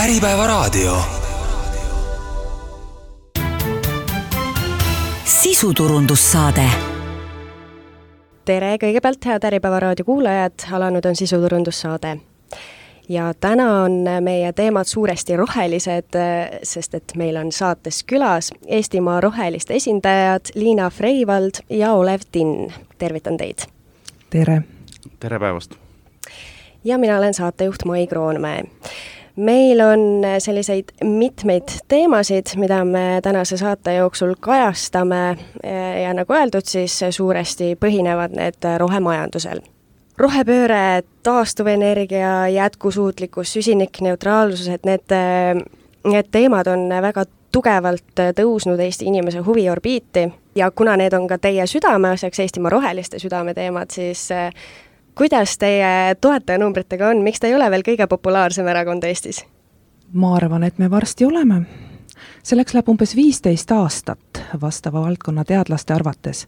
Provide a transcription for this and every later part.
Äripäevaraadio. Sisuturundussaade. Tere kõigepealt, head Äripäevaraadio kuulajad, alanud on sisuturundussaade. Ja täna on meie teemad suuresti rohelised, sest et meil on saates külas Eestimaa roheliste esindajad Liina Freivald ja Olev Tinn. Tervitan teid. Tere. Tere päevast. Ja mina olen saatejuht Mai Kroonmäe. Meil on selliseid mitmeid teemasid, mida me tänase saate jooksul kajastame ja nagu öeldud, siis suuresti põhinevad need rohemajandusel. Rohepööre, taastuvenergia, jätkusuutlikkus, süsinikneutraalsus, et need teemad on väga tugevalt tõusnud Eesti inimese huviorbiiti ja kuna need on ka teie südameasjaks, Eestimaa roheliste südameteemad, siis kuidas teie toetajanumbritega on? Miks te ei ole veel kõige populaarsem erakond Eestis? Ma arvan, et me varsti oleme. Selleks läheb umbes 15 aastat vastava valdkonna teadlaste arvates.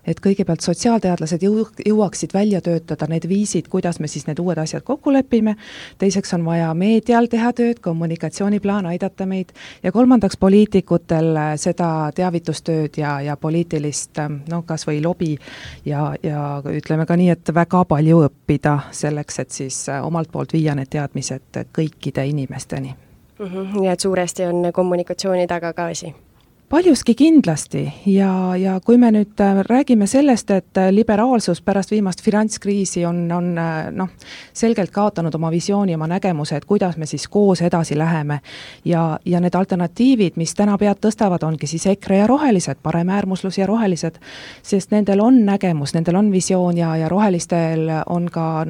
Et kõigepealt sotsiaalteadlased jõuaksid välja töötada need viisid, kuidas me siis need uued asjad kokku lepime. Teiseks on vaja meedial teha tööd, kommunikatsiooniplaan aidata meid. Ja kolmandaks poliitikutel seda teavitustööd ja poliitilist, kas või lobi ja ütleme ka nii, et väga palju õppida selleks, et siis omalt poolt viia need teadmised kõikide inimesteni. Nii et suuresti on kommunikatsiooni taga ka asi. Paljuski kindlasti ja kui me nüüd räägime sellest, et liberaalsus pärast viimast finantskriisi on selgelt kaotanud oma visiooni, oma nägemuse, et kuidas me siis koos edasi läheme ja need alternatiivid, mis täna pead tõstavad, ongi siis EKRE ja rohelised, paremäärmuslus ja rohelised, sest nendel on nägemus, nendel on visioon ja rohelistel on ka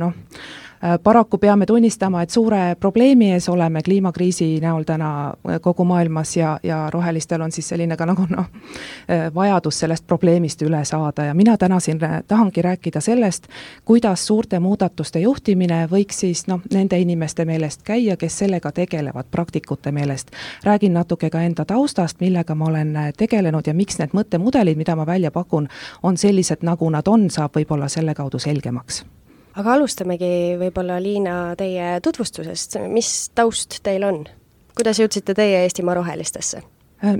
paraku peame tunnistama, et suure probleemi ees oleme kliimakriisi näol täna kogu maailmas ja rohelistel on siis selline ka vajadus sellest probleemist üle saada ja mina täna siin tahangi rääkida sellest, kuidas suurte muudatuste juhtimine võiks siis nende inimeste meelest käia, kes sellega tegelevad, praktikute meelest. Räägin natuke ka enda taustast, millega ma olen tegelenud ja miks need mõttemudelid, mida ma välja pakun, on sellised, nagu nad on, saab võib-olla selle kaudu selgemaks. Aga alustamegi võib-olla, Liina, teie tutvustusest. Mis taust teil on? Kuidas jõudsite teie Eestimaa rohelistesse?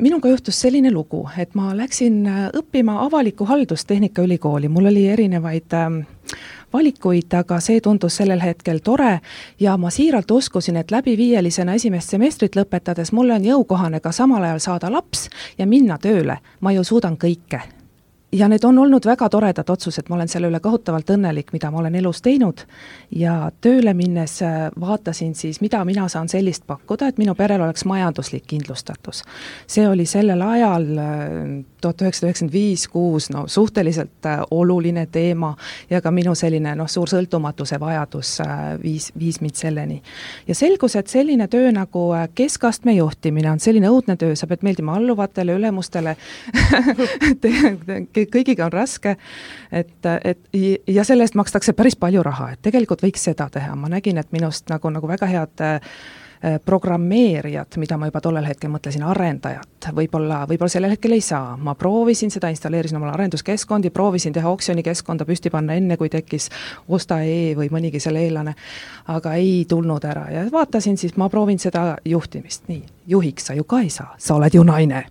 Minuga juhtus selline lugu, et ma läksin õppima avalikku haldust Tehnikaülikooli. Mul oli erinevaid valikuid, aga see tundus sellel hetkel tore ja ma siiralt uskusin, et läbi 5-lisena esimest semestrit lõpetades mulle on jõukohane ka samal ajal saada laps ja minna tööle. Ma ju suudan kõike. Ja need on olnud väga toredad otsused, ma olen selle üle kohutavalt õnnelik, mida ma olen elus teinud ja tööle minnes vaatasin siis, mida mina saan sellist pakkuda, et minu perel oleks majanduslik kindlustatus. See oli sellel ajal 1995-6 suhteliselt oluline teema ja ka minu selline suur sõltumatuse vajadus viis mind selleni. Ja selgus, et selline töö nagu keskastme juhtimine on selline õudne töö, sa pead meeldima alluvatele, ülemustele, kõigiga on raske, ja selle eest makstakse päris palju raha, et tegelikult võiks seda teha. Ma nägin, et minust nagu väga head programmeerijad, mida ma juba tollel hetkel mõtlesin, arendajat, võib-olla sellel hetkel ei saa. Ma proovisin seda, installeerisin omale arenduskeskkondi, proovisin teha oksjonikeskkonda püsti panna enne, kui tekkis Osta.ee või mõnigi selle eelane, aga ei tulnud ära. Ja vaatasin siis, ma proovin seda juhtimist. Nii, juhiks sa ju ka ei saa, sa oled ju naine.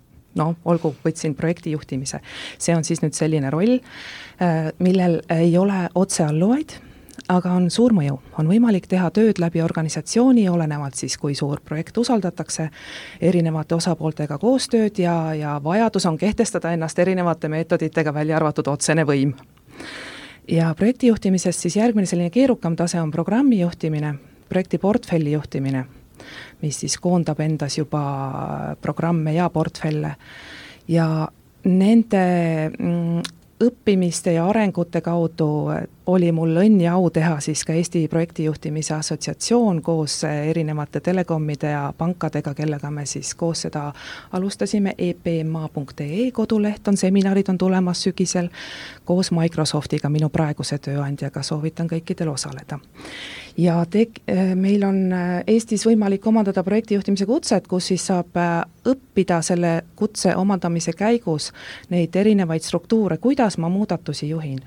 Olgu, võtsin projekti juhtimise. See on siis nüüd selline roll, millel ei ole otsealluvaid, aga on suur mõju. On võimalik teha tööd läbi organisatsiooni, olenevalt siis, kui suur projekt usaldatakse, erinevate osapooltega koostööd ja vajadus on kehtestada ennast erinevate meetoditega välja arvatud otsene võim. Ja projekti juhtimises siis järgmine selline keerukam tase on programmi juhtimine, projekti portfelli juhtimine, mis siis koondab endas juba programme ja portfelle ja nende õppimiste ja arengute kaudu oli mul õnn ja au teha siis ka Eesti projektijuhtimise assotsiatsioon koos erinevate telekomide ja pankadega, kellega me siis koos seda alustasime. epma.ee koduleht on, seminarid on tulemas sügisel koos Microsoftiga, minu praeguse tööandjaga, soovitan kõikidel osaleda. Ja meil on Eestis võimalik omandada projektijuhtimise kutset, kus siis saab õppida selle kutse omandamise käigus neid erinevaid struktuure, kuidas ma muudatusi juhin.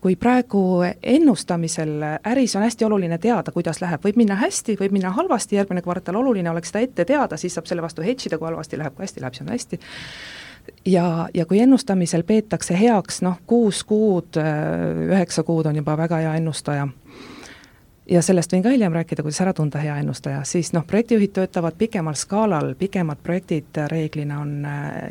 kui praegu ennustamisel äris on hästi oluline teada, kuidas läheb, võib minna hästi, võib minna halvasti, järgmine kvartal oluline oleks seda ette teada, siis saab selle vastu hedžida, kui halvasti läheb, kui hästi läheb, see on hästi. Ja kui ennustamisel peetakse heaks, 6 kuud, 9 kuud on juba väga hea ennustaja. Ja sellest võin ka hiljem rääkida, kuidas ära tunda hea ennustaja, siis projektijuhid töötavad pikemal skaalal, pikemad projektid reeglina on,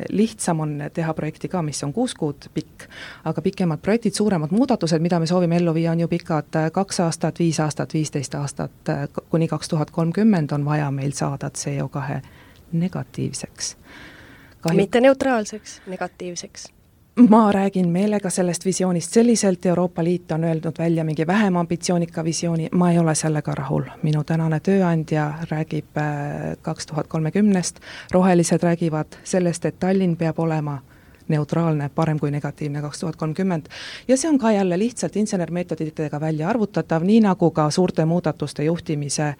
lihtsam on teha projekti ka, mis on 6 kuud pikk, aga pikemad projektid, suuremad muudatused, mida me soovime ellu viia, on ju pikad 2 aastat, 5 aastat, 15 aastat, kuni 2030 on vaja meil saada CO2 negatiivseks. Mitte neutraalseks, negatiivseks. Ma räägin meelega sellest visioonist selliselt, Euroopa Liit on öelnud välja mingi vähem ambitsioonika visiooni, ma ei ole sellega rahul. Minu tänane tööandja räägib 2030, rohelised räägivad sellest, et Tallinn peab olema neutraalne, parem kui negatiivne 2030. Ja see on ka jälle lihtsalt insenermeetoditega välja arvutatav, nii nagu ka suurte muudatuste juhtimise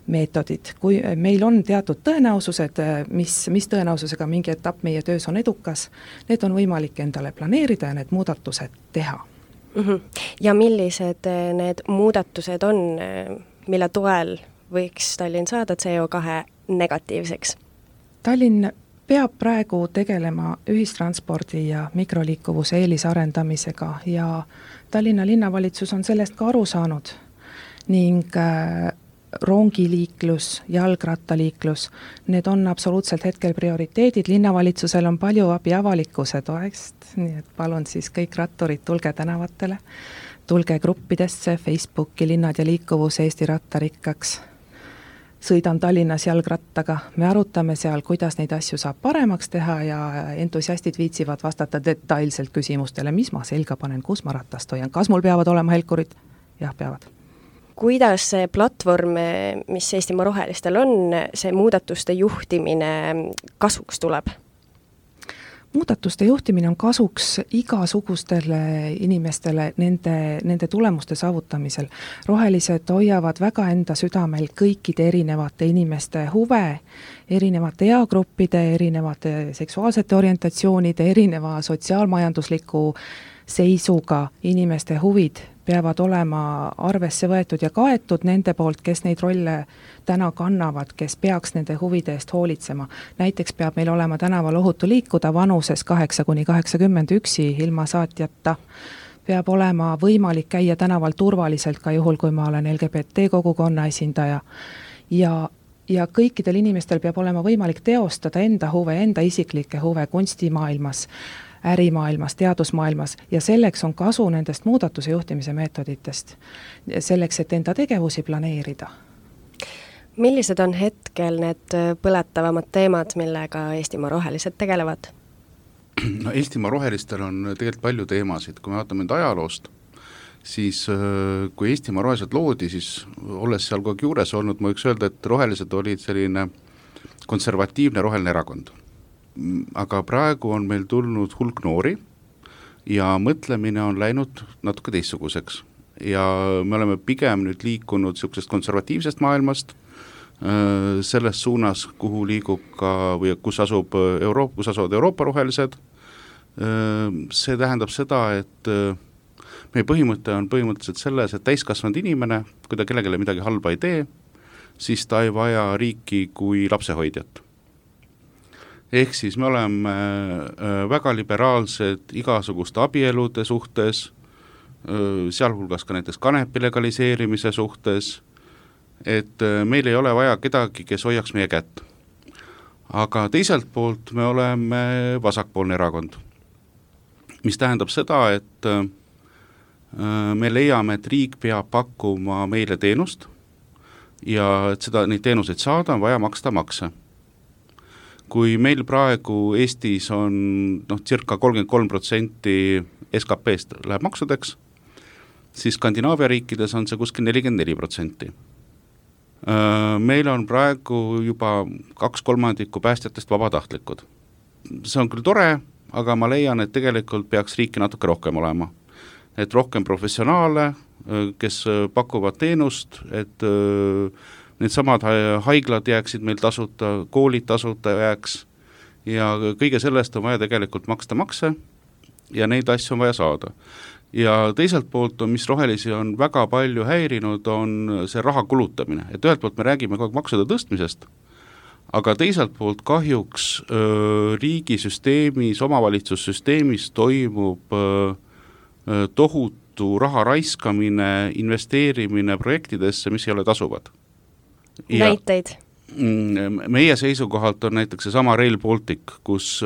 meetodid. Kui meil on teatud tõenäosused, mis tõenäosusega mingi etapp meie töös on edukas, need on võimalik endale planeerida ja need muudatused teha. Ja millised need muudatused on, mille toel võiks Tallinn saada CO2 negatiivseks? Tallinn peab praegu tegelema ühistranspordi ja mikroliikuvuse eelisarendamisega ja Tallinna linnavalitsus on sellest ka aru saanud ning rongiliiklus, jalgrattaliiklus, need on absoluutselt hetkel prioriteedid, linnavalitsusel on palju abi avalikkuse toest, nii et palun siis kõik ratturid, tulge tänavatele, tulge gruppidesse, Facebooki, Linnad ja liikuvus, Eesti rattarikkaks. Sõidan Tallinnas jalgrattaga, me arutame seal, kuidas neid asju saab paremaks teha ja entusiastid viitsivad vastata detailselt küsimustele, mis ma selga panen, kus ma ratast hoian, kas mul peavad olema helkurid? Jah, peavad. Kuidas see platvorm, mis Eestimaa rohelistel on, see muudatuste juhtimine kasuks tuleb? Muudatuste juhtimine on kasuks igasugustele inimestele nende tulemuste saavutamisel. Rohelised hoiavad väga enda südamel kõikide erinevate inimeste huve, erinevate eagruppide, erinevate seksuaalsete orientatsioonide, erineva sotsiaalmajandusliku seisuga inimeste huvid peavad olema arvesse võetud ja kaetud nende poolt, kes neid rolle täna kannavad, kes peaks nende huvide eest hoolitsema. Näiteks peab meil olema tänaval ohutu liikuda vanuses 8–81 ilma saatjata. Peab olema võimalik käia tänaval turvaliselt ka juhul, kui ma olen LGBT kogukonna esindaja. Ja kõikidel inimestel peab olema võimalik teostada enda huve, enda isiklikke huve kunstimaailmas, ärimaailmas, teadusmaailmas ja selleks on kasu nendest muudatuse juhtimise meetoditest, selleks, et enda tegevusi planeerida. Millised on hetkel need põletavamad teemad, millega Eestimaa rohelised tegelevad? No, Eestimaa rohelistel on tegelikult palju teemasid, kui me vaatame nüüd ajaloost, siis kui Eestimaa rohelised loodi, siis olles seal kogu juures olnud, ma võiks öelda, et rohelised olid selline konservatiivne roheline erakond. Aga praegu on meil tulnud hulk noori ja mõtlemine on läinud natuke teistsuguseks. Ja me oleme pigem nüüd liikunud sellisest konservatiivsest maailmast selles suunas, kuhu liigub ka või kus asuvad Euroopa rohelised. See tähendab seda, et meie põhimõte on põhimõtteliselt selles, et täiskasvanud inimene, kui ta kellelegi midagi halba ei tee, siis ta ei vaja riiki kui lapsehoidjat. Ehk siis me oleme väga liberaalsed igasuguste abielude suhtes, sealhulgas ka näiteks kanepi legaliseerimise suhtes, et meil ei ole vaja kedagi, kes hoiaks meie kätt. Aga teiselt poolt me oleme vasakpoolne erakond, mis tähendab seda, et me leiame, et riik peab pakkuma meile teenust ja et neid teenuseid saada on vaja maksta makse. Kui meil praegu Eestis on circa 33% SKP-st läheb maksudeks, siis Skandinaavia riikides on see kuskil 44%. Meil on praegu juba 2/3 päästjatest vabatahtlikud. See on küll tore, aga ma leian, et tegelikult peaks riiki natuke rohkem olema. Et rohkem professionaale, kes pakuvad teenust, et need samad haiglad jääksid meil tasuta, koolid tasuta jääks ja kõige sellest on vaja tegelikult maksta makse ja neid asju on vaja saada. ja teiselt poolt on, mis rohelisi on väga palju häirinud, on see raha kulutamine, et ühelt poolt me räägime kogu aeg maksude tõstmisest, aga teiselt poolt kahjuks riigisüsteemis, omavalitsussüsteemis toimub tohutu raha raiskamine, investeerimine projektidesse, mis ei ole tasuvad. Näiteid? Meie seisukohalt on näiteks see sama Rail Baltic, kus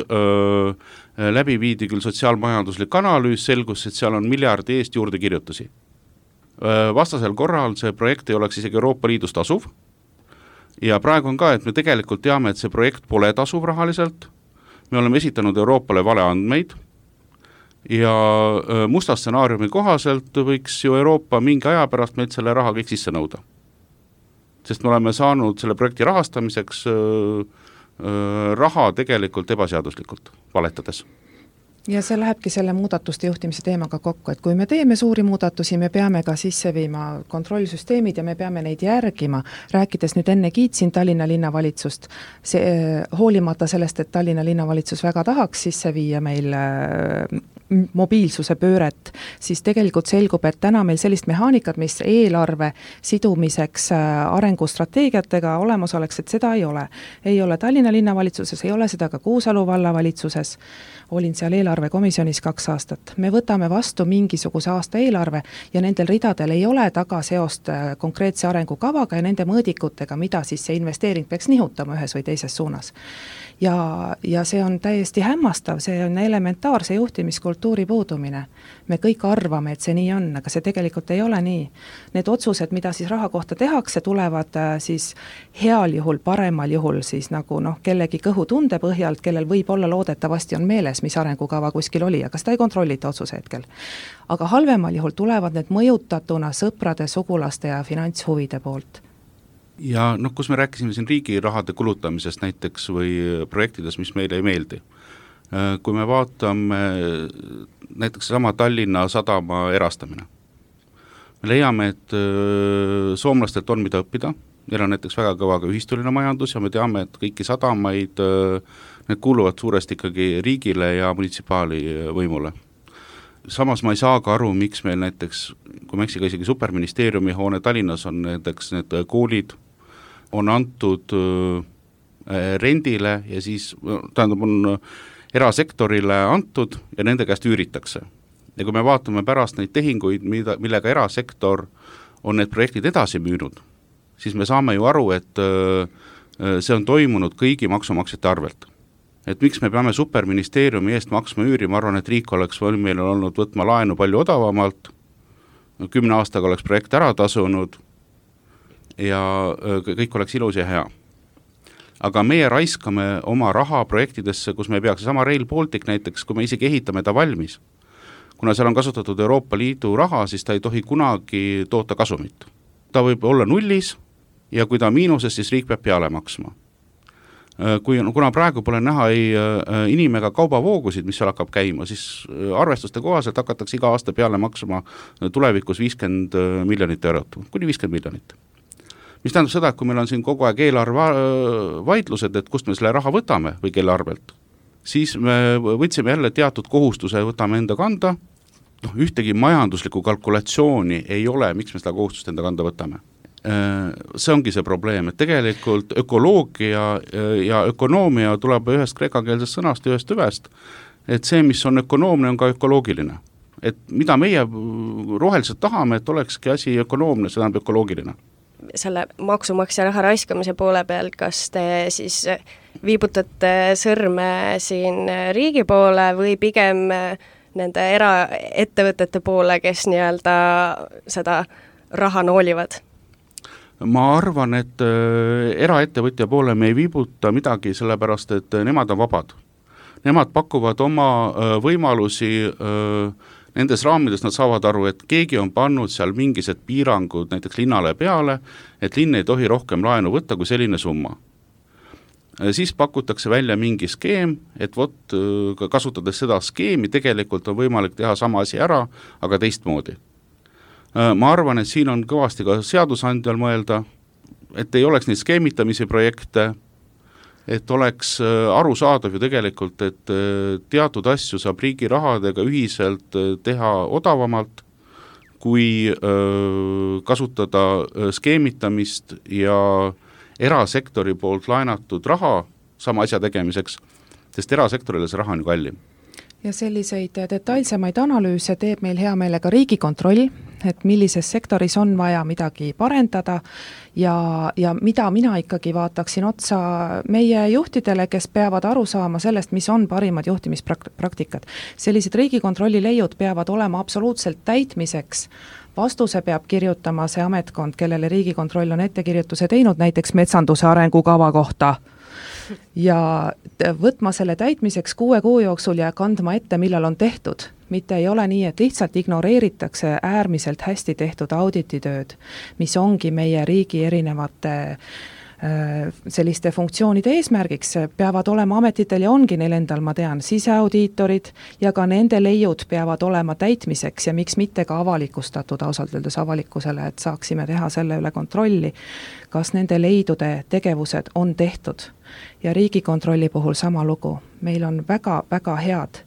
läbi viidi küll sotsiaalmajanduslik analüüs, selgus, et seal on miljardi eest juurde kirjutusi. Vastasel korral see projekt ei oleks isegi Euroopa Liidus tasuv ja praegu on ka, et me tegelikult teame, et see projekt pole tasuv rahaliselt, me oleme esitanud Euroopale valeandmeid ja musta stsenaariumi kohaselt võiks ju Euroopa mingi aja pärast meilt selle raha kõik sisse nõuda. Sest me oleme saanud selle projekti rahastamiseks raha tegelikult ebaseaduslikult, valetades. Ja see lähebki selle muudatuste juhtimise teemaga kokku, et kui me teeme suuri muudatusi, me peame ka sisse viima kontrollsüsteemid ja me peame neid järgima. Rääkides nüüd enne kiitsin Tallinna linnavalitsust, hoolimata sellest, et Tallinna linnavalitsus väga tahaks sisse viia meil mobiilsuse pööret, siis tegelikult selgub, et täna meil sellist mehaanikat, mis eelarve sidumiseks arengustrateegiatega olemas oleks, et seda ei ole. Ei ole Tallinna linnavalitsuses, ei ole seda ka Kuusalu vallavalitsuses. Olin seal eelarvekomisjonis 2 aastat. Me võtame vastu mingisuguse aasta eelarve ja nendel ridadel ei ole taga seost konkreetse arengukavaga ja nende mõõdikutega, mida siis see investeering peaks nihutama ühes või teises suunas. Ja see on täiesti hämmastav, see on elementaarse juhtimiskultuuri puudumine. Me kõik arvame, et see nii on, aga see tegelikult ei ole nii. Need otsused, mida siis raha kohta tehakse, tulevad siis heal juhul, paremal juhul siis nagu kellegi kõhutunde põhjalt, kellel võib olla loodetavasti on meeles, mis arengukava kuskil oli, aga seda ei kontrollita otsuse hetkel. Aga halvemal juhul tulevad need mõjutatuna sõprade, sugulaste ja finantshuvide poolt. Ja kus me rääkisime siin riigi rahade kulutamisest näiteks või projektides, mis meile ei meeldi. Kui me vaatame näiteks sama Tallinna sadama erastamine, me leiame, et soomlastelt on mida õppida, neil on näiteks väga kõva ka ühistuline majandus ja me teame, et kõiki sadamaid, need kuuluvad suuresti ikkagi riigile ja munitsipaali võimule. Samas ma ei saa ka aru, miks meil näiteks, kui ma eksiga isegi superministeeriumi hoone Tallinnas on näiteks need koolid, on antud rendile ja siis tähendab on erasektorile antud ja nende käest üüritakse. Ja kui me vaatame pärast neid tehinguid, millega erasektor on need projektid edasi müünud, siis me saame ju aru, et see on toimunud kõigi maksumaksjate arvelt. Et miks me peame superministeeriumi eest maksma üüri, ma arvan, et riik oleks meil olnud võtma laenu palju odavamalt, 10 aastaga oleks projekt ära tasunud ja kõik oleks ilus ja hea. Aga meie raiskame oma raha projektidesse, kus me peaks sama Rail Baltic näiteks, kui me isegi ehitame ta valmis. Kuna seal on kasutatud Euroopa Liidu raha, siis ta ei tohi kunagi toota kasumit. Ta võib olla nullis ja kui ta miinuses, siis riik peab peale maksma. Kuna praegu pole näha ei inimega kaubavoogusid, mis seal hakkab käima, siis arvestuste kohaselt hakatakse iga aasta peale maksma tulevikus 50 miljonit eurot, kuni 50 miljonit. Mis tähendab seda, et kui meil on siin kogu aeg eelarve vaidlused, et kust me selle raha võtame või kelle arvelt, siis me võtsime jälle teatud kohustuse, võtame enda kanda, ühtegi majanduslikku kalkulatsiooni ei ole, miks me seda kohustust enda kanda võtame. See ongi see probleem, et tegelikult ökoloogia ja ökonoomia tuleb ühest kreekakeelsest sõnast ja ühest tüvest, et see, mis on ökonoomne, on ka ökoloogiline. Et mida meie roheliselt tahame, et olekski asi ökonoomne, see tähendab ökoloogiline. Selle maksumaksja raha raiskamise poole peal, kas te siis viibutate sõrme siin riigi poole või pigem nende eraettevõtete poole, kes nii-öelda seda raha noolivad? Ma arvan, et eraettevõtja poole me ei viibuta midagi, sellepärast et nemad on vabad. Nemad pakuvad oma võimalusi nendes raamides, nad saavad aru, et keegi on pannud seal mingised piirangud näiteks linnale peale, et linn ei tohi rohkem laenu võtta kui selline summa. Siis pakutakse välja mingi skeem, et kasutades seda skeemi tegelikult on võimalik teha sama asi ära, aga teistmoodi. Ma arvan, et siin on kõvasti ka seadusandjal mõelda, et ei oleks neid skeemitamise projekte et oleks arusaadav ju tegelikult, et teatud asju saab riigi rahadega ühiselt teha odavamalt, kui kasutada skeemitamist ja erasektori poolt laenatud raha sama asja tegemiseks, sest erasektorile see raha on ju kallim. Ja selliseid detailsemaid analüüse teeb meil hea meelega Riigikontroll, et millises sektoris on vaja midagi parendada ja mida mina ikkagi vaataksin otsa meie juhtidele, kes peavad aru saama sellest, mis on parimad juhtimispraktikad. Sellised Riigikontrolli leiud peavad olema absoluutselt täitmiseks. Vastuse peab kirjutama see ametkond, kellele Riigikontroll on ettekirjutuse teinud, näiteks metsanduse arengukava kohta, ja võtma selle täitmiseks 6 kuu jooksul ja kandma ette, millal on tehtud. Mitte ei ole nii, et lihtsalt ignoreeritakse äärmiselt hästi tehtud audititööd, mis ongi meie riigi erinevate selliste funktsioonide eesmärgiks, peavad olema ametitel ja ongi neil endal, ma tean, siseaudiitorid ja ka nende leiud peavad olema täitmiseks ja miks mitte ka avalikustatud ausalt öeldes avalikkusele, et saaksime teha selle üle kontrolli, kas nende leidude tegevused on tehtud. Ja Riigikontrolli puhul sama lugu. Meil on väga head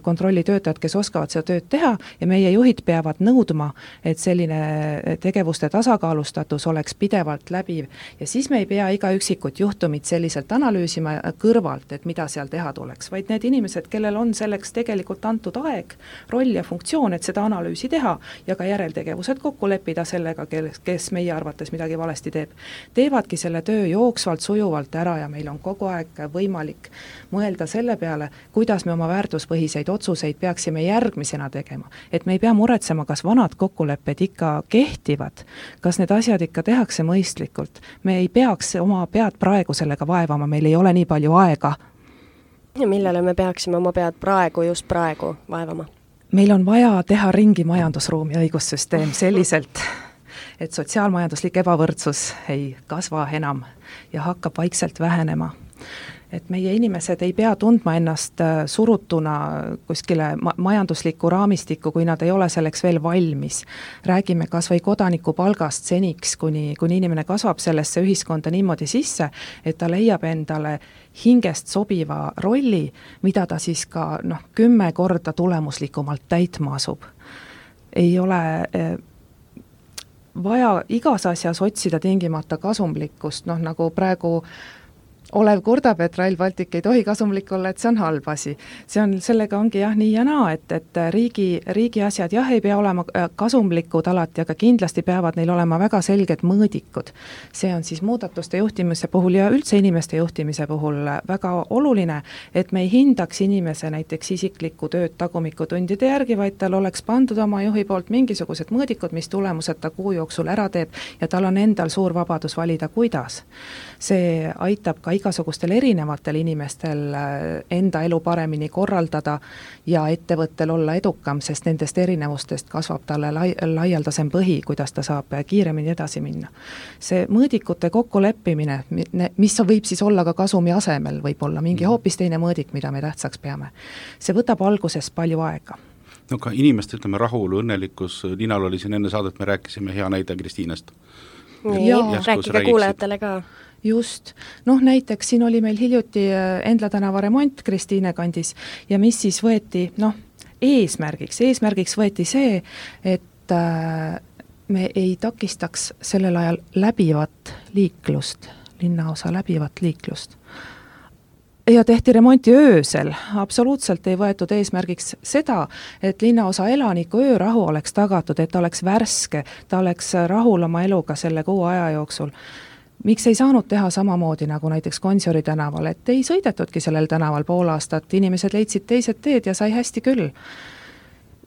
kontrollitöötajad, kes oskavad seda tööd teha ja meie juhid peavad nõudma, et selline tegevuste tasakaalustatus oleks pidevalt läbiv ja siis me ei pea iga üksikut juhtumit selliselt analüüsima kõrvalt, et mida seal teha tuleks, vaid need inimesed, kellel on selleks tegelikult antud aeg, roll ja funktsioon, et seda analüüsi teha ja ka järeltegevused kokku leppida sellega, kes meie arvates midagi valesti teeb, teevadki selle töö jooksvalt, sujuvalt ära ja meil on kogu aeg võimalik mõelda selle peale, kuidas me oma väärtuspõhiseid otsuseid peaksime järgmisena tegema, et me ei pea muretsema, kas vanad kokkulepped ikka kehtivad, kas need asjad ikka tehakse mõistlikult, me ei peaks oma pead praegu sellega vaevama, meil ei ole nii palju aega. Ja millele me peaksime oma pead just praegu vaevama? Meil on vaja teha ringi majandusruumi õigussüsteem selliselt, et sotsiaalmajanduslik ebavõrdsus ei kasva enam ja hakkab vaikselt vähenema. Et meie inimesed ei pea tundma ennast surutuna kuskile majanduslikku raamistikku, kui nad ei ole selleks veel valmis. Räägime kas või kodaniku palgast seniks, kuni inimene kasvab sellesse ühiskonda niimoodi sisse, et ta leiab endale hingest sobiva rolli, mida ta siis ka 10 korda tulemuslikumalt täitma asub. Ei ole vaja igas asjas otsida tingimata kasumlikkust, nagu praegu Olev kurdab, et Rail Baltic ei tohi kasumlik olla, et see on halb asi. Sellega ongi nii ja naa, et riigi asjad ei pea olema kasumlikud alati, aga kindlasti peavad neil olema väga selged mõõdikud. See on siis muudatuste juhtimise puhul ja üldse inimeste juhtimise puhul väga oluline, et me ei hindaks inimese näiteks isiklikku tööd tagumikutundide järgi, vaid tal oleks pandud oma juhi poolt mingisugused mõõdikud, mis tulemused ta kuu jooksul ära teeb ja tal on endal suur vabadus valida, kuidas. See aitab ka igasugustel erinevatel inimestel enda elu paremini korraldada ja ettevõttel olla edukam, sest nendest erinevustest kasvab talle laialdasem põhi, kuidas ta saab kiiremini edasi minna. See mõõdikute kokkuleppimine, mis võib siis olla ka kasumi asemel, võib olla mingi hoopis teine mõõdik, mida me tähtsaks peame. See võtab alguses palju aega. No ka inimeste, rahul, õnnelikkus, Liinal oli siin enne saadet, me rääkisime hea näide Kristiinest. Rääkige kuulajatele ka. Just. Näiteks siin oli meil hiljuti Endla tänava remont Kristiine kandis ja mis siis võeti, eesmärgiks võeti see, et me ei takistaks sellel ajal läbivat liiklust, linnaosa läbivat liiklust. Ja tehti remonti öösel, absoluutselt ei võetud eesmärgiks seda, et linnaosa elaniku öörahu oleks tagatud, et ta oleks värske, ta oleks rahul oma eluga selle kuu aja jooksul. Miks ei saanud teha samamoodi nagu näiteks Gonsiori tänaval, et ei sõidetudki sellel tänaval pool aastat, inimesed leidsid teised teed ja sai hästi küll.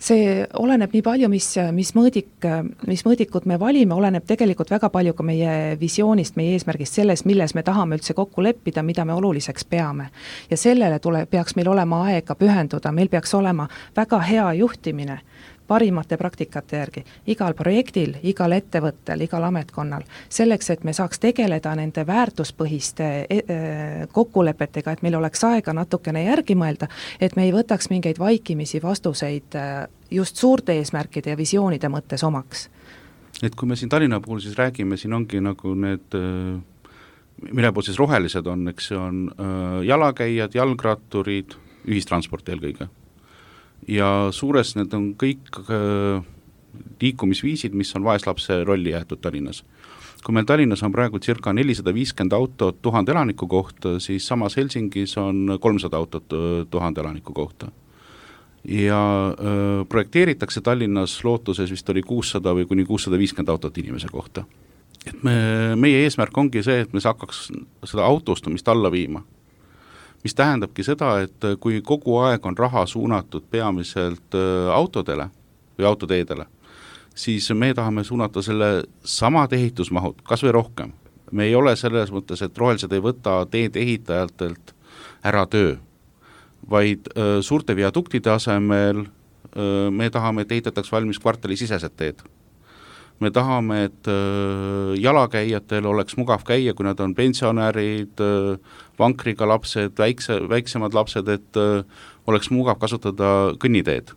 See oleneb nii palju, mis mõõdikud me valime, oleneb tegelikult väga palju ka meie visioonist, meie eesmärgist selles, milles me tahame üldse kokku leppida, mida me oluliseks peame. Ja sellele peaks meil olema aega pühenduda, meil peaks olema väga hea juhtimine parimate praktikate järgi, igal projektil, igal ettevõttel, igal ametkonnal, selleks, et me saaks tegeleda nende väärtuspõhiste kokkulepetega, et meil oleks aega natukene järgi mõelda, et me ei võtaks mingeid vaikimisi vastuseid just suurte eesmärkide ja visioonide mõttes omaks. Et kui me siin Tallinna puhul siis räägime, siin ongi nagu need mille pool siis rohelised on, eks see on jalakäijad, jalgratturid, ühistransport eelkõige. Ja suures need on kõik liikumisviisid, mis on vaeslapse rolli jäetud Tallinnas. Kui meil Tallinnas on praegu circa 450 autot 1000 elaniku kohta, siis samas Helsingis on 300 autot 1000 elaniku kohta. Ja projekteeritakse Tallinnas lootuses vist oli 600 või kuni 650 autot inimese kohta. Et meie eesmärk ongi see, et me hakkaks seda autostumist alla viima. Mis tähendabki seda, et kui kogu aeg on raha suunatud peamiselt autodele või autoteedele, siis me tahame suunata selle samad ehitusmahud, kas või rohkem. Me ei ole selles mõttes, et rohelised ei võta teed ehitajatelt ära töö, vaid suurte viaduktide asemel me tahame, et ehitataks valmis kvartali sisesed teed. Me tahame, et jalakäijatel oleks mugav käia, kui nad on pensionärid, vankriga lapsed, väiksemad lapsed, et oleks mugav kasutada kõnniteed.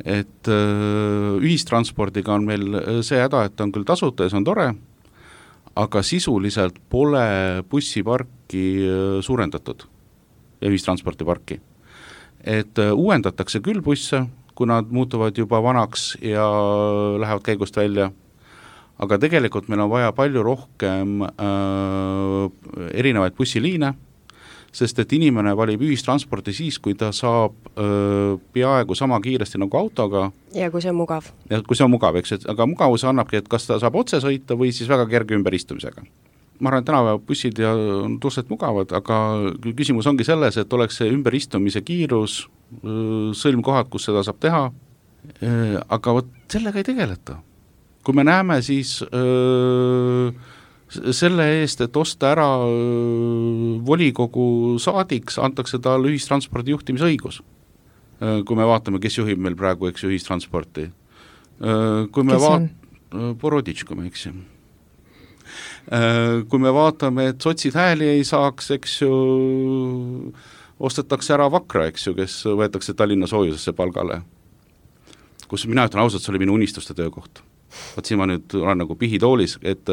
Et ühistranspordiga on meil see häda, et on küll tasuta ja see on tore, aga sisuliselt pole bussiparki suurendatud ja ühistranspordiparki. Et uuendatakse küll busse, kui nad muutuvad juba vanaks ja lähevad käigust välja, aga tegelikult meil on vaja palju rohkem erinevaid bussiliine, sest et inimene valib ühistransporti siis, kui ta saab peaaegu sama kiiresti nagu autoga. Ja kui see on mugav. Ja kui see on mugav, eks, aga mugavus annabki, et kas ta saab otse sõita või siis väga kerge ümberistumisega. Ma arvan, et tänapäeva bussid on tuselt mugavad, aga küsimus ongi selles, et oleks see ümberistumise kiirus, sõlmkohad, kus seda saab teha, aga võt sellega ei tegeleta. Kui me näeme siis selle eest, et osta ära volikogu saadiks, antakse talle ühistranspordi juhtimisõigus. Kui me vaatame, kes juhib meil praegu, eks ühistransporti. Kui me Boroditš, kui me eks. Kui me vaatame, et sotsid hääli ei saaks, eks ju, ostetakse ära Vakra, eks ju, kes võetakse Tallinna soojusesse palgale. Kus mina ütlen ausalt, see oli minu unistuste töökoht. Võt siin ma nüüd olen nagu pihitoolis, et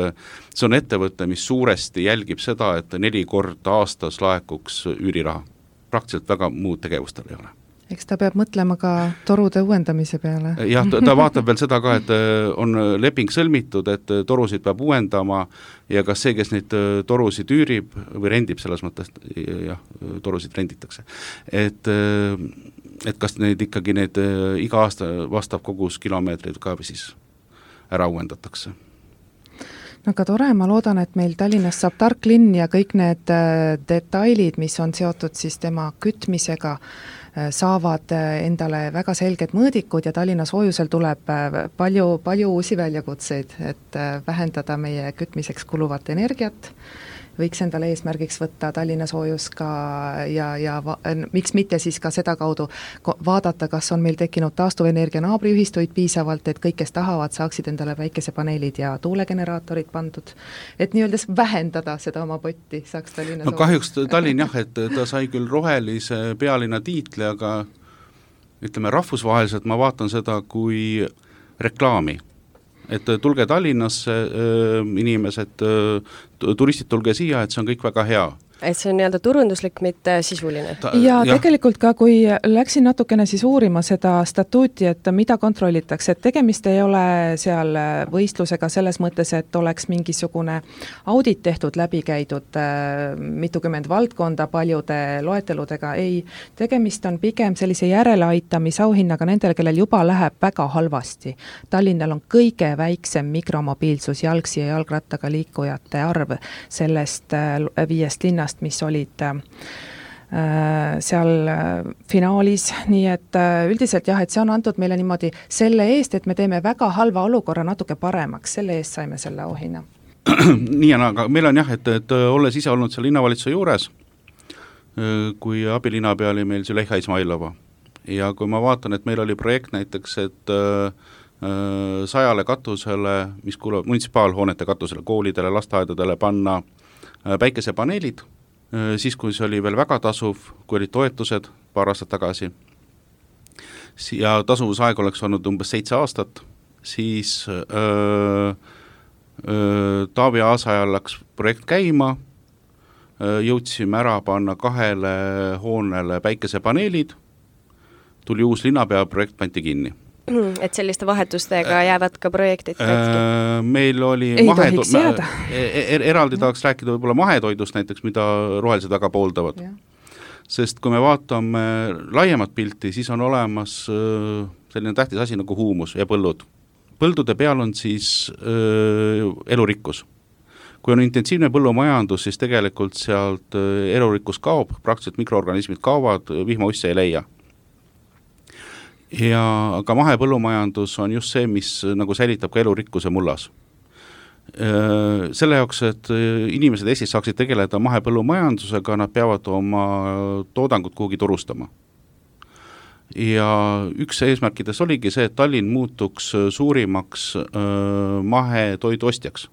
see on ettevõte, mis suuresti jälgib seda, et 4 korda aastas laekuks üüriraha. Praktiliselt väga muud tegevustel ei ole. Eks ta peab mõtlema ka torude uuendamise peale. Jah, ta vaatab veel seda ka, et on leping sõlmitud, et torusid peab uuendama ja kas see, kes neid torusid üürib või rendib selles mõttes, jah, torusid renditakse. Et kas neid ikkagi need iga aasta vastab kogus kilomeetrid ka või siis ära uuendatakse. No aga tore, ma loodan, et meil Tallinnas saab tark linn ja kõik need detailid, mis on seotud siis tema kütmisega, saavad endale väga selged mõõdikud ja Tallinna soojusel tuleb palju uusi väljakutseid, et vähendada meie kütmiseks kuluvat energiat, võiks endale eesmärgiks võtta Tallinna soojus ka ja miks mitte siis ka seda kaudu vaadata, kas on meil tekkinud taastuvenergia naabriühistuid piisavalt, et kõik, kes tahavad, saaksid endale päikesepaneelid ja tuulegeneraatorid pandud, et nii-öeldes vähendada seda oma potti, saaks Tallinna soojus. Kahjuks Tallinn jah, et ta sai küll rohelise pealinna tiitli, aga ütleme rahvusvaheliselt ma vaatan seda kui reklaami. Et tulge Tallinnasse, inimesed, turistid tulge siia, et see on kõik väga hea. Et see on nii-öelda turunduslik, mitte sisuline. Ja tegelikult ka, kui läksin natukene siis uurima seda statuuti, et mida kontrollitakse, et tegemist ei ole seal võistlusega selles mõttes, et oleks mingisugune audit tehtud läbi käidud mitukümmend valdkonda paljude loeteludega, ei, tegemist on pigem sellise järeleaitamisauhinnaga nendele, kellel juba läheb väga halvasti. Tallinnal on kõige väiksem mikromobiilsus jalgsi ja jalgrattaga liikujate arv sellest 5 linnast, mis olid seal finaalis, nii et üldiselt jah, et see on antud meile niimoodi selle eest, et me teeme väga halva olukorra natuke paremaks, selle eest saime selle auhinna. Nii on, aga meil on jah, et olles ise olnud seal linnavalitsuse juures, kui abilinnapea oli meil Züleyxa Izmailova ja kui ma vaatan, et meil oli projekt näiteks, et 100 katusele, mis kuuluvad munitsipaalhoonete katusele, koolidele, lasteaedadele panna päikesepaneelid, siis kui see oli veel väga tasuv, kui olid toetused paar aastat tagasi ja tasuvusaeg oleks olnud umbes 7 aastat, siis Taavi Aasa ajal läks projekt käima, jõudsime ära panna 2 hoonele päikesepaneelid, tuli uus linnapea, projekt pandi kinni. Et selliste vahetustega jäävad ka projektid katki? Meil oli eraldi tahaks rääkida võib-olla mahetoidust näiteks, mida rohelised väga pooldavad. Ja. Sest kui me vaatame laiemat pilti, siis on olemas selline tähtis asi nagu huumus ja põllud. Põldude peal on siis elurikkus. Kui on intensiivne põllumajandus, siis tegelikult sealt elurikkus kaob, praktiliselt mikroorganismid kaovad, vihmausse ei leia. Ja aga mahepõllumajandus on just see, mis nagu säilitab ka elurikkuse mullas. Selle jaoks, et inimesed Eestis saaksid tegeleda mahepõllumajandusega, nad peavad oma toodangut kuhugi turustama. Ja üks eesmärkides oligi see, et Tallinn muutuks suurimaks mahetoidu ostjaks.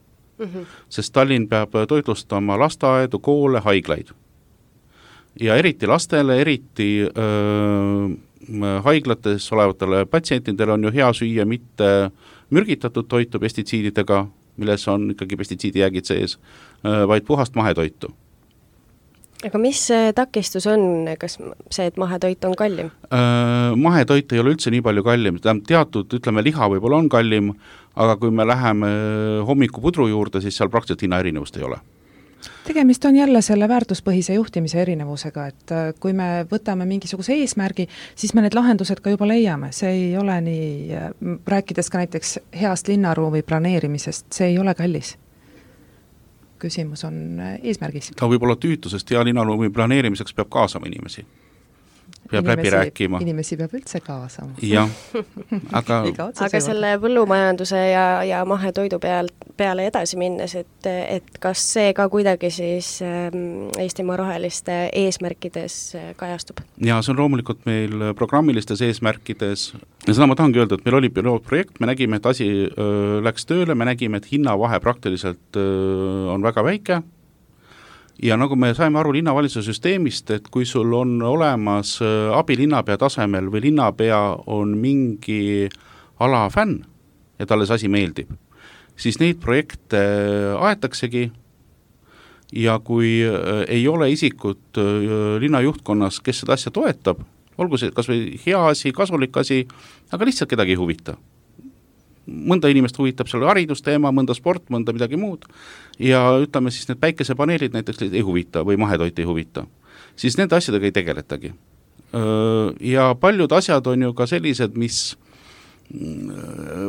Sest Tallinn peab toitlustama lasteaedu, koole, haiglaid. Ja eriti lastele, eriti haiglates olevatele patsientidele on ju hea süüa mitte mürgitatud toitu pestitsiididega, milles on ikkagi pestitsiidijäägid sees, vaid puhast mahetoitu. Aga mis takistus on, kas see, et mahetoit on kallim? Mahetoit ei ole üldse nii palju kallim, teatud, ütleme, liha võib-olla on kallim, aga kui me läheme hommikupudru juurde, siis seal praktiliselt hinna erinevust ei ole. Tegemist on jälle selle väärtuspõhise juhtimise erinevusega, et kui me võtame mingisuguse eesmärgi, siis me need lahendused ka juba leiame. See ei ole nii, rääkides ka näiteks heast linnaruumi planeerimisest, see ei ole kallis. Küsimus on eesmärgis. Ta võib olla tüütu, sest hea linnaruumi planeerimiseks peab kaasama inimesi. Peab läbi rääkima. Inimesi peab üldse kaasama. Jah, aga selle põllumajanduse ja mahetoidu peale edasi minnes, et kas see ka kuidagi siis Eestimaa roheliste eesmärkides kajastub? Ja see on loomulikult meil programmilistes eesmärkides. Ja seda ma tahangi öelda, et meil oli pilootprojekt, me nägime, et asi läks tööle, me nägime, et hinnavahe praktiliselt on väga väike. Ja nagu me saime aru linnavalitsuse süsteemist, et kui sul on olemas abilinnapea tasemel või linnapea on mingi ala fänn ja talle see asi meeldib, siis neid projekte aetaksegi ja kui ei ole isikut linnajuhtkonnas, kes seda asja toetab, olgu see kas või hea asi, kasulik asi, aga lihtsalt kedagi ei huvita. Mõnda inimest huvitab selle haridusteema, mõnda sport, mõnda midagi muud ja ütleme siis need päikesepaneelid näiteks ei huvita või mahetoit ei huvita, siis nende asjadega ei tegeletagi. Ja paljud asjad on ju ka sellised, mis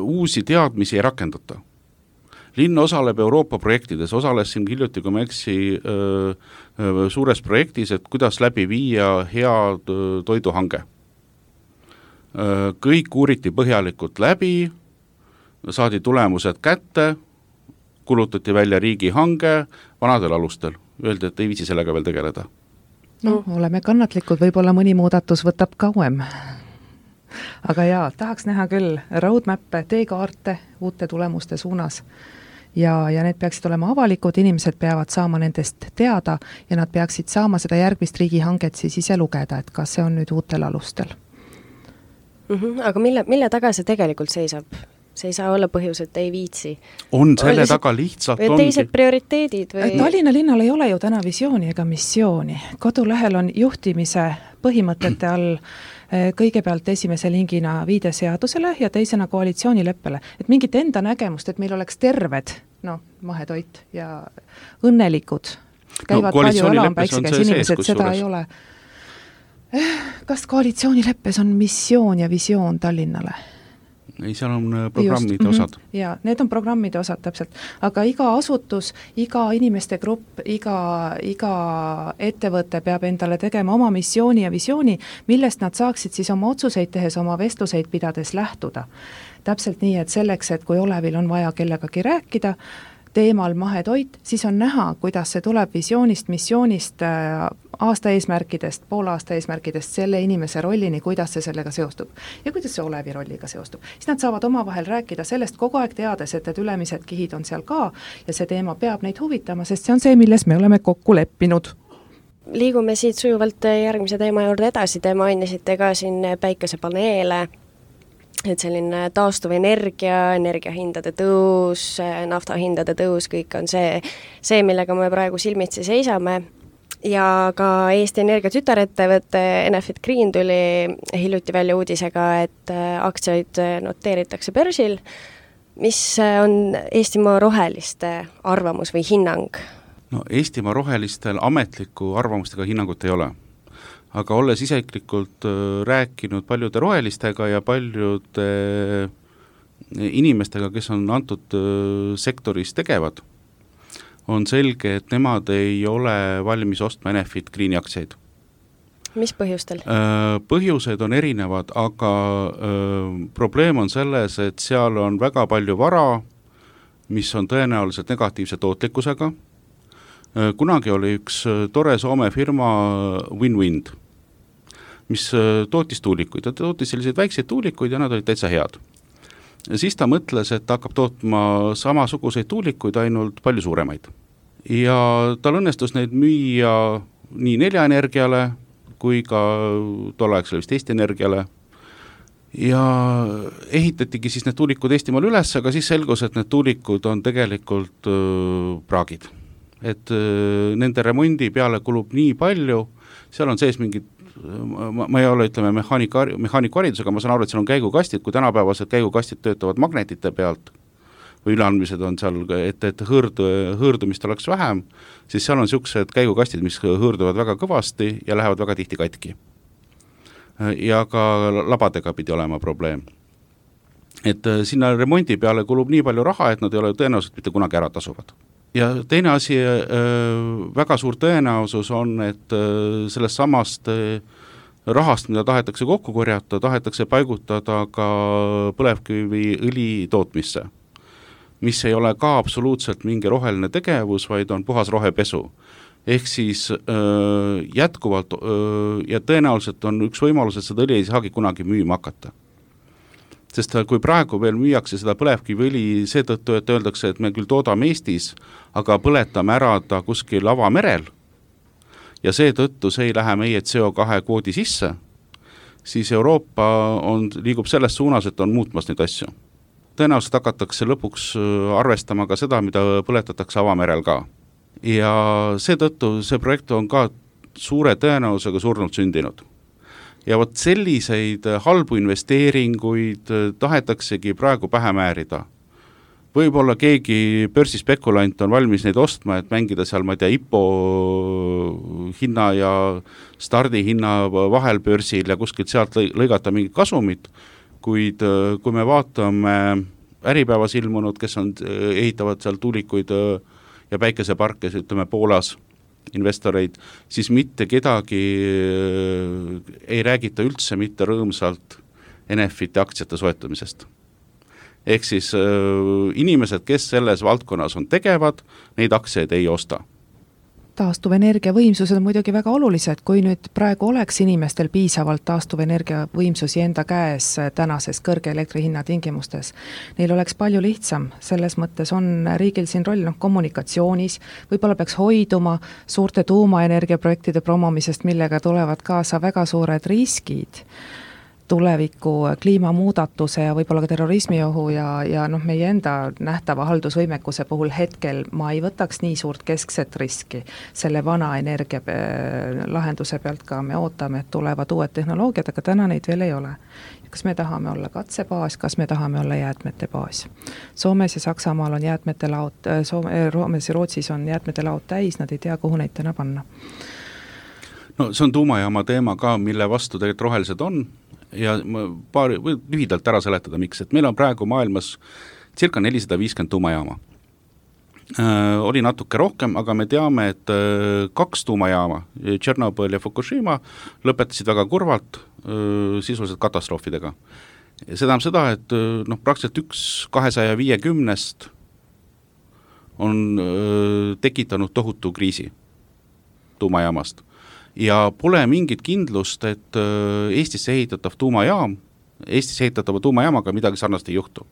uusi teadmisi ei rakendata. Linn osaleb Euroopa projektides, osales siin hiljuti, kui ma eksi, suures projektis, et kuidas läbi viia head toiduhange. Kõik uuriti põhjalikult läbi, saadi tulemused kätte, kulutati välja riigihange vanadel alustel. Öeldi, et ei viitsi sellega veel tegeleda. No, oleme kannatlikud, võib-olla mõni muudatus võtab kauem. Aga jaa, tahaks näha küll roadmappe, teekaarte uute tulemuste suunas. Ja need peaksid olema avalikud, inimesed peavad saama nendest teada ja nad peaksid saama seda järgmist riigihanget siis ise lugeda, et kas see on nüüd uutel alustel. Aga mille taga see tegelikult seisab? See ei saa olla põhjus, et ei viitsi. On selle taga lihtsalt või teised prioriteedid või? Tallinna linnal ei ole ju täna visiooni ega missiooni. Kodulehel on juhtimise põhimõtete all kõigepealt esimese lingina viide seadusele ja teisena koalitsioonileppele. Et mingit enda nägemust, et meil oleks terved, mahetoit ja õnnelikud. Käivad palju alampäiksikäs inimesed, seda ei ole. Kas koalitsioonileppes on missioon ja visioon Tallinnale? Ei, seal on programmide osad. Ja, need on programmide osad täpselt, aga iga asutus, iga inimeste grupp, iga ettevõte peab endale tegema oma missiooni ja visiooni, millest nad saaksid siis oma otsuseid tehes, oma vestluseid pidades lähtuda. Täpselt nii, et selleks, et kui Olevil on vaja kellegagi rääkida, teemal mahetoit, siis on näha, kuidas see tuleb visioonist, missioonist, aasta eesmärkidest, poolaasta eesmärkidest, selle inimese rollini, kuidas see sellega seostub ja kuidas see Olevi rolliga seostub. Siis nad saavad omavahel rääkida sellest kogu aeg teades, et ülemised kihid on seal ka ja see teema peab neid huvitama, sest see on see, milles me oleme kokku leppinud. Liigume siit sujuvalt järgmise teema juurde edasi, te mainisite ka siin päikesepaneele. et selline taastuvenergia, energiahindade tõus, naftahindade tõus, kõik on see, millega me praegu silmitsi seisame. Ja ka Eesti Energia tütarettevõte Enefit Green tuli hiljuti välja uudisega, et aktsiaid noteeritakse börsil. Mis on Eestimaa roheliste arvamus või hinnang? No Eestimaa rohelistel ametliku arvamustega hinnangut ei ole. Aga olles isiklikult rääkinud paljude rohelistega ja paljude inimestega, kes on antud sektoris tegevad, on selge, et nemad ei ole valmis ostma Enefit Greeni aktsiaid. Mis põhjustel? Põhjused on erinevad, aga probleem on selles, et seal on väga palju vara, mis on tõenäoliselt negatiivse tootlikkusega. Kunagi oli üks tore Soome firma Win-Wind, mis tootis tuulikuid. Ta tootis selliseid väikseid tuulikuid ja nad olid täitsa head. Ja siis ta mõtles, et ta hakkab tootma samasuguseid tuulikuid, ainult palju suuremaid. Ja tal õnnestus neid müüa nii Nelja Energiale kui ka tolleaegsele vist Eesti Energiale. Ja ehitatigi siis need tuulikud Eestimaal üles, aga siis selgus, et need tuulikud on tegelikult praagid. Et nende remondi peale kulub nii palju, seal on sees mingid, ma ei ole, ütleme, mehaanikuharidusega, ma saan aru, et seal on käigukastid, kui tänapäevased käigukastid töötavad magnetite pealt või üleandmised on seal, et hõõrdumist oleks vähem, siis seal on sellised käigukastid, mis hõõrduvad väga kõvasti ja lähevad väga tihti katki. Ja ka labadega pidi olema probleem. Et sinna remondi peale kulub nii palju raha, et nad ei ole tõenäoliselt mitte kunagi ära tasuvad. Ja teine asi, väga suur tõenäosus on, et sellest samast rahast, mida tahetakse kokku korjata, tahetakse paigutada ka põlevkivi õli tootmisse, mis ei ole ka absoluutselt mingi roheline tegevus, vaid on puhas rohepesu. Ehk siis jätkuvalt ja tõenäoliselt on üks võimalus, et seda õli ei saagi kunagi müüma hakata. Sest kui praegu veel müüakse seda põlevkiviõli seetõttu, et öeldakse, et me küll toodame Eestis, aga põletame ära ta kuskil avamerel ja seetõttu see ei lähe meie CO2 kvoodi sisse, siis Euroopa liigub selles suunas, et on muutmas neid asju. Tõenäoliselt hakatakse lõpuks arvestama ka seda, mida põletatakse avamerel ka. Ja seetõttu see projekt on ka suure tõenäosusega surnult sündinud. Ja vot selliseid halbu investeeringuid tahetaksegi praegu pähe määrida. Võib-olla keegi börsispekulant on valmis neid ostma, et mängida seal, ma ei tea, IPO hinna ja stardihinna vahel börsil ja kuskilt sealt lõigata mingit kasumit, kuid kui me vaatame Äripäevas ilmunud, kes ehitavad seal tuulikuid ja päikeseparke, ütleme Poolas, investoreid, siis mitte kedagi ei räägita üldse mitte rõõmsalt Enefiti aktsiate soetamisest. Ehk siis inimesed, kes selles valdkonnas on tegevad, neid aktsiaid ei osta. Taastuvenergia võimsused on muidugi väga olulised, kui nüüd praegu oleks inimestel piisavalt taastuvenergia võimsusi enda käes tänases kõrge elektrihinna tingimustes. Neil oleks palju lihtsam, selles mõttes on riigil siin roll kommunikatsioonis, võib-olla peaks hoiduma suurte tuumaenergiaprojektide promomisest, millega tulevad kaasa väga suured riskid tuleviku kliimamuudatuse ja võib-olla ka terrorismiohu ja meie enda nähtava haldusvõimekuse puhul hetkel ma ei võtaks nii suurt keskset riski selle vana energia lahenduse pealt ka. Me ootame, et tulevad uued tehnoloogiad, aga täna neid veel ei ole. Kas me tahame olla katsebaas, kas me tahame olla jäätmete baas? Soomes ja Saksamaal on jäätmete laud, Soomes ja Rootsis on jäätmete laud täis, nad ei tea, kuhu neid täna panna. No see on tuumajaama teema ka, mille vastu tegelikult rohelised on. Ja lühidalt ära seletada, miks, et meil on praegu maailmas circa 450 tuumajaama. Oli natuke rohkem, aga me teame, et 2 tuumajaama, Tšernobõl ja Fukushima, lõpetasid väga kurvalt sisuliselt katastroofidega. Ja see tähendab seda, et praktiliselt 250 on tekitanud tohutu kriisi tuumajaamast. Ja pole mingit kindlust, et Eestisse ehitatava tuumajaamaga midagi sarnast ei juhtu.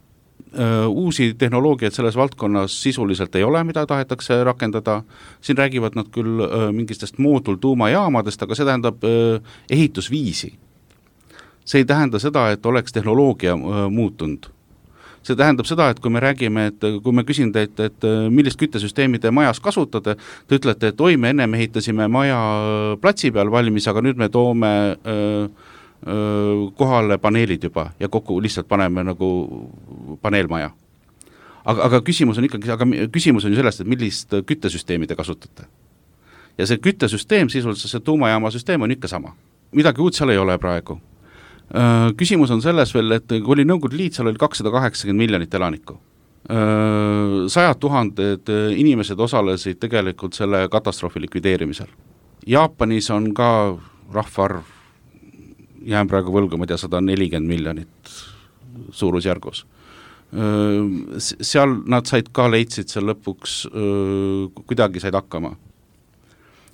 Uusi tehnoloogiaid selles valdkonnas sisuliselt ei ole, mida tahetakse rakendada. Siin räägivad nad küll mingistest moodultuumajaamadest, aga see tähendab ehitusviisi. see ei tähenda seda, et oleks tehnoloogia muutunud. See tähendab seda, et kui me räägime, et kui me küsin teilt, et millist küttesüsteemi te majas kasutate, te ütlete, et oi, me enne ehitasime maja platsi peal valmis, aga nüüd me toome kohale paneelid juba ja kokku lihtsalt paneme nagu paneelmaja. Aga küsimus on ikkagi, küsimus on ju sellest, et millist küttesüsteemi te kasutate. Ja see küttesüsteem, sisuliselt see tuumajaama süsteem on ikka sama. Midagi uut seal ei ole praegu. Küsimus on selles veel, et kui oli Nõukogude Liit, seal oli 280 miljonit elanikku. 100 000 inimesed osalesid tegelikult selle katastroofi likvideerimisel. Jaapanis on ka rahvaarv, jään praegu võlgu, ma tea, 140 miljonit suurusjärgus. Seal nad said ka leidsid seal lõpuks, kuidagi said hakkama.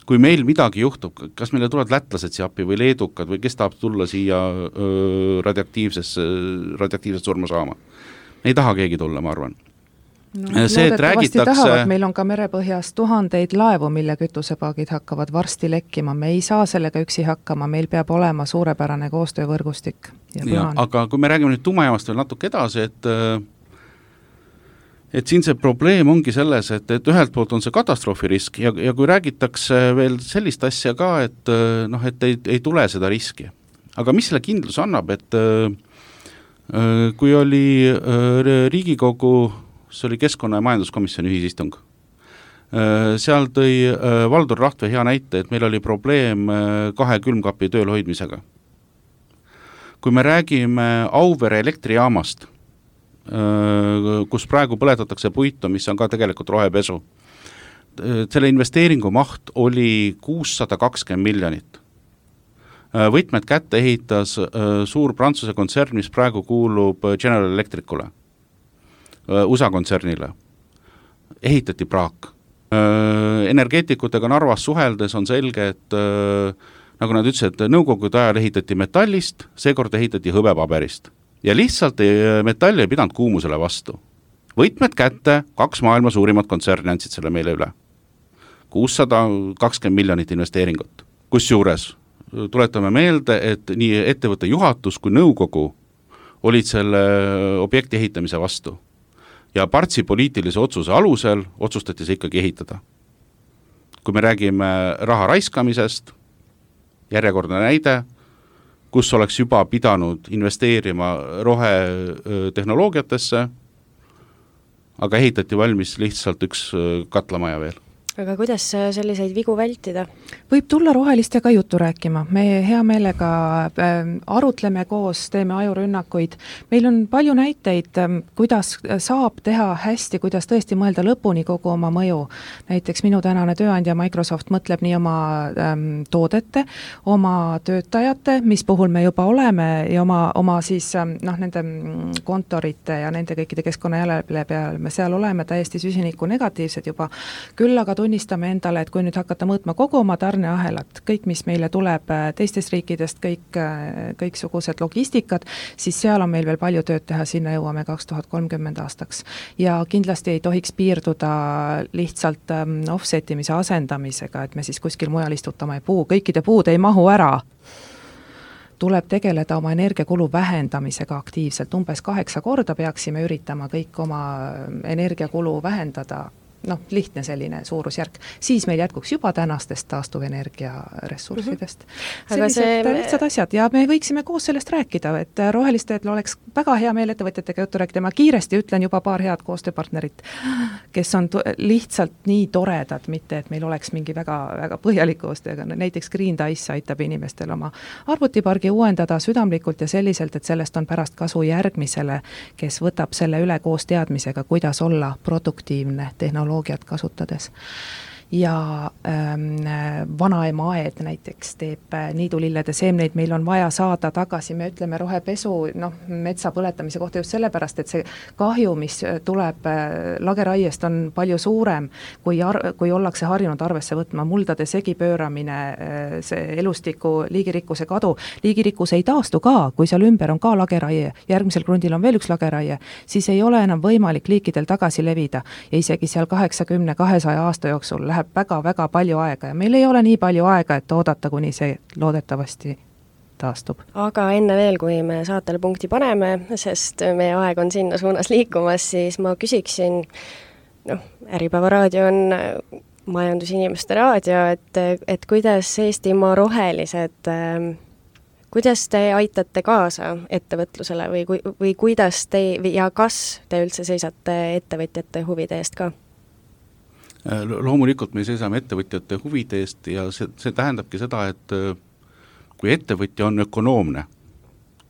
Kui meil midagi juhtub, kas meile tulevad lätlased siia appi või leedukad või kes tahab tulla siia radioaktiivset surma saama? Ei taha keegi tulla, ma arvan. No, loodetavasti tahavad, meil on ka merepõhjas tuhandeid laevu, mille kütusepaagid hakkavad varsti lekkima. Me ei saa sellega üksi hakkama, meil peab olema suurepärane koostöövõrgustik. Ja, aga kui me räägime nüüd tuumajaamast veel natuke edasi, et siin see probleem ongi selles, et ühelt poolt on see katastroofirisk ja kui räägitakse veel sellist asja ka, et ei tule seda riski. Aga mis selle kindlus annab, et kui oli Riigikogu, see oli Keskkonna- ja Majanduskomisjoni ühisistung, seal tõi Valdur Rahtve hea näite, et meil oli probleem 2 külmkapi tööl hoidmisega. Kui me räägime Auvere elektrijaamast, kus praegu põletatakse puitu, mis on ka tegelikult rohepesu. Selle investeeringu maht oli 620 miljonit. Võtmed kätte ehitas suur Prantsuse kontsern, mis praegu kuulub General Electricule, USA kontsernile. Ehitati praak. Energeetikutega Narvas suheldes on selge, et nagu nad ütlesid, et nõukogude ajal ehitati metallist, seekord ehitati hõbepaberist. Ja lihtsalt metall ei pidanud kuumusele vastu. Võtmed kätte, 2 maailma suurimat kontserni andsid selle meile üle. 620 miljonit investeeringut. Kusjuures tuletame meelde, et nii ettevõtte juhatus kui nõukogu olid selle objekti ehitamise vastu. Ja Partsi poliitilise otsuse alusel otsustati see ikkagi ehitada. Kui me räägime raha raiskamisest, järjekordne näide, kus oleks juba pidanud investeerima rohetehnoloogiatesse, aga ehitati valmis lihtsalt üks katlamaja veel. Aga kuidas selliseid vigu vältida? Võib tulla rohelistega juttu rääkima. Me hea meelega arutleme koos, teeme ajurünnakuid. Meil on palju näiteid, kuidas saab teha hästi, kuidas tõesti mõelda lõpuni kogu oma mõju. Näiteks minu tänane tööandja Microsoft mõtleb nii oma toodete, oma töötajate, mis puhul me juba oleme, ja oma siis nende kontorite ja nende kõikide keskkonnajälele peale me seal oleme täiesti süsiniku negatiivsed juba. Küll aga tunnistame endale, et kui nüüd hakata mõõtma kogu oma tarneahelat, kõik, mis meile tuleb teistest riikidest, kõiksugused logistikad, siis seal on meil veel palju tööd teha, sinna jõuame 2030 aastaks. Ja kindlasti ei tohiks piirduda lihtsalt offsetimise asendamisega, et me siis kuskil mujal istutame puu, kõikide puud ei mahu ära. Tuleb tegeleda oma energiakulu vähendamisega aktiivselt, umbes 8 korda peaksime üritama kõik oma energiakulu vähendada, lihtne selline suurusjärk, siis meil jätkuks juba tänastest taastuvenergia ressurssidest. Sellised lihtsad asjad ja me võiksime koos sellest rääkida, et rohelistel oleks väga hea meel ettevõtjatega juttu rääkida. Ma kiiresti ütlen juba paar head koostööpartnerit, kes on lihtsalt nii toredad, mitte et meil oleks mingi väga, väga põhjalik koostööga. Näiteks Green Dice aitab inimestel oma arvutipargi uuendada südamlikult ja selliselt, et sellest on pärast kasu järgmisele, kes võtab selle üle koos teadmisega, kuidas olla produktiivne tehnoloogiat kasutades. Ja vanaema aed näiteks teeb niidulillede seemneid, meil on vaja saada tagasi, me ütleme rohepesu metsa põletamise kohta just sellepärast, et see kahju, mis tuleb lageraiest, on palju suurem, kui ollakse harjunud arvesse võtma, muldade segipööramine, see elustiku liigirikkuse kadu. Liigirikkus ei taastu ka, kui seal ümber on ka lageraie, järgmisel grundil on veel üks lageraie, siis ei ole enam võimalik liikidel tagasi levida ja isegi seal 80-200 aasta jooksul läheb väga-väga palju aega ja meil ei ole nii palju aega, et oodata, kuni see loodetavasti taastub. Aga enne veel, kui me saatele punkti paneme, sest meie aeg on sinna suunas liikumas, siis ma küsiksin, Äripäeva raadio on majandusinimeste raadio, et kuidas Eestimaa rohelised, kuidas te aitate kaasa ettevõtlusele või kuidas te ja kas te üldse seisate ettevõtjate huvide eest ka? Loomulikult me seisame ettevõtjate huvide eest ja see tähendabki seda, et kui ettevõtja on ökonoomne,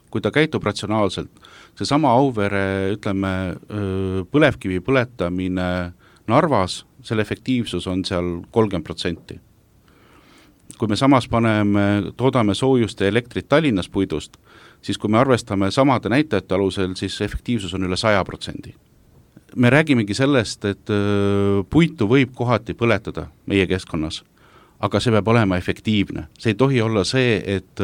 kui ta käitub ratsionaalselt, seesama Auvere, ütleme, põlevkivi põletamine Narvas, selle efektiivsus on seal 30%. Kui me samas toodame soojust ja elektrit Tallinnas puidust, siis kui me arvestame samade näitajate alusel, siis efektiivsus on üle 100%. Me räägimegi sellest, et puitu võib kohati põletada meie keskkonnas, aga see peab olema efektiivne. See ei tohi olla see, et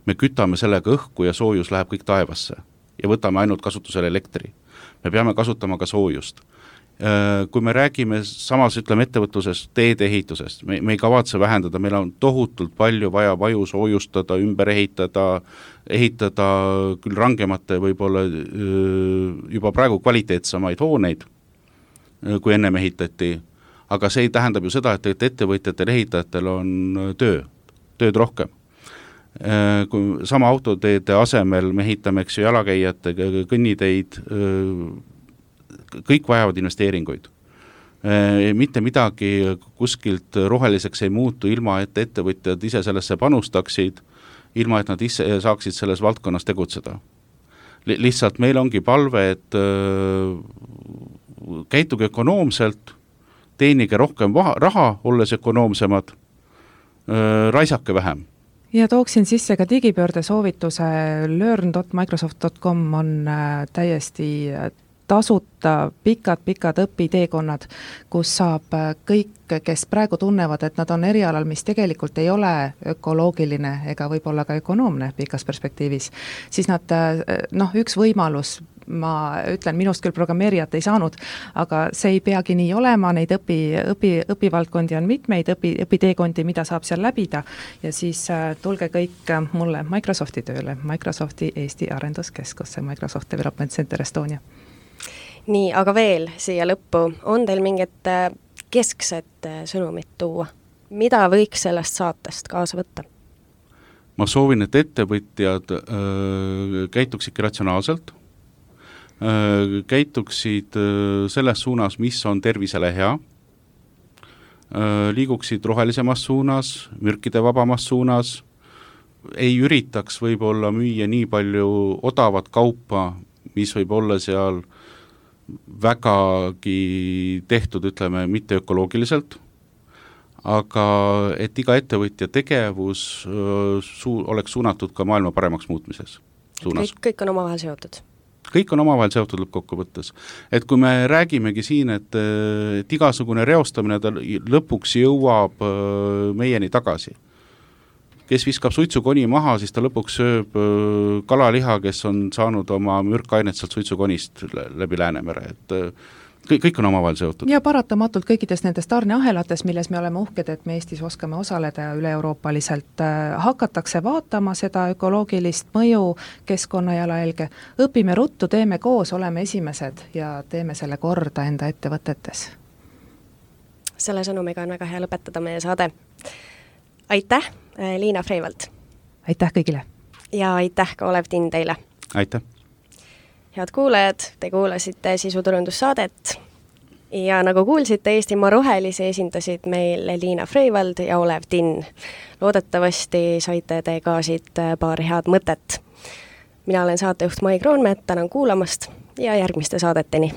me kütame sellega õhku ja soojus läheb kõik taevasse ja võtame ainult kasutusele elektri. Me peame kasutama ka soojust. Kui me räägime samas, ütleme, ettevõtluses teedeehitusest, me ei kavatse vähendada, meil on tohutult palju vaja vaju soojustada, ümber ehitada küll rangemate võib-olla juba praegu kvaliteetsamaid hooneid, kui ennem ehitati, aga see tähendab ju seda, et ettevõtjatel, ehitajatel on tööd rohkem. Kui sama autoteede asemel me ehitame, eks ju, jalakäijate kõnniteid, kõik vajavad investeeringuid. Mitte midagi kuskilt roheliseks ei muutu, ilma et ettevõtjad ise sellesse panustaksid, ilma et nad ise saaksid selles valdkonnas tegutseda. Lihtsalt meil ongi palve, et käituge ökonoomselt, teenige rohkem raha, olles ökonoomsemad, raisake vähem. Ja tooksin sisse ka digipöörde soovituse, learn.microsoft.com on täiesti tasuta pikad õpiteekonnad, kus saab kõik, kes praegu tunnevad, et nad on erialal, mis tegelikult ei ole ökoloogiline ega võib-olla ka ökonoomne pikas perspektiivis, siis nad, üks võimalus, ma ütlen, minust küll programmeerijat ei saanud, aga see ei peagi nii olema, neid õpivaldkondi on mitmeid, õpiteekondi, mida saab seal läbida ja siis tulge kõik mulle Microsofti tööle, Microsofti Eesti Arenduskeskusse, Microsoft Development Center Estonia. Nii, aga veel siia lõppu, on teil mingit keskset sõnumit tuua? Mida võiks sellest saatest kaasa võtta? Ma soovin, et ettevõtjad käituksidki ratsionaalselt, käituksid selles suunas, mis on tervisele hea, liiguksid rohelisemas suunas, mürkide vabamas suunas, ei üritaks võib-olla müüa nii palju odavat kaupa, mis võib olla seal vägagi tehtud, ütleme, mitte ökoloogiliselt, aga et iga ettevõtja tegevus oleks suunatud ka maailma paremaks muutmises suunas. Kõik on omavahel seotud. Kõik on omavahel seotud lõppkokkuvõttes. Et kui me räägimegi siin, et igasugune reostamine ta lõpuks jõuab meieni tagasi. Kes viskab suitsukoni maha, siis ta lõpuks sööb kalaliha, kes on saanud oma mürkainet sealt suitsukonist läbi Läänemere. Et kõik on omavahel seotud. Ja paratamatult kõikides nendes tarneahelates, milles me oleme uhked, et me Eestis oskame osaleda ja üle-euroopaliselt hakatakse vaatama seda ökoloogilist mõju keskkonnajalajälge. Õpime ruttu, teeme koos, oleme esimesed ja teeme selle korda enda ettevõtetes. Selle sõnumiga on väga hea lõpetada meie saade. Aitäh, Liina Freivald! Aitäh kõigile! Ja aitäh ka Olev Tinn teile! Aitäh! Head kuulajad, te kuulasite sisuturundussaadet ja nagu kuulsite, Eestimaa rohelisi esindasid meil Liina Freivald ja Olev Tinn. Loodetavasti saite te ka siit paar head mõtet. Mina olen saatejuht Mai Kroonmäed, tänan kuulamast ja järgmiste saadeteni.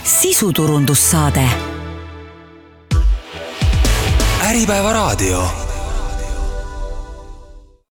Sisuturundussaade. Äripäeva raadio.